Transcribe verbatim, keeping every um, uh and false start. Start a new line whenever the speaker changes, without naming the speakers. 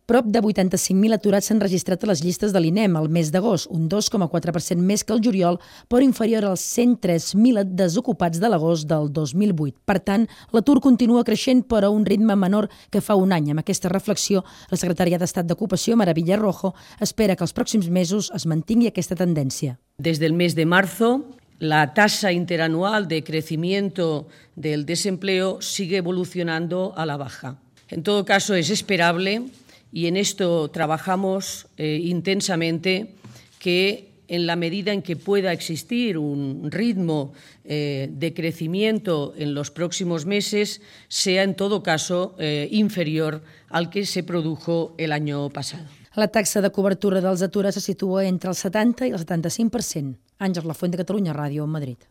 Prop de vuitanta-cinc mil aturats s'han registrat a les llistes de l'INEM al mes d'agost, un dos coma quatre per cent més que el juliol, però inferior als cent tres mil desocupats de l'agost del dos mil vuit. Per tant, l'atur continua creixent, però a un ritme menor que fa un any. Amb aquesta reflexió, la secretària d'Estat d'Ocupació, Mara Villarrojo, espera que els pròxims mesos es mantingui aquesta tendència.
Desde el mes de marzo, la tasa interanual de crecimiento del desempleo sigue evolucionando a la baja. En todo caso, es esperable, y en esto trabajamos eh, intensamente, que en la medida en que pueda existir un ritmo eh, de crecimiento en los próximos meses, sea en todo caso eh, inferior al que se produjo el año pasado.
La taxa de cobertura dels aturats se situa entre el setanta i el setanta-cinc per cent. Àngels Lafuente, Catalunya Ràdio, Madrid.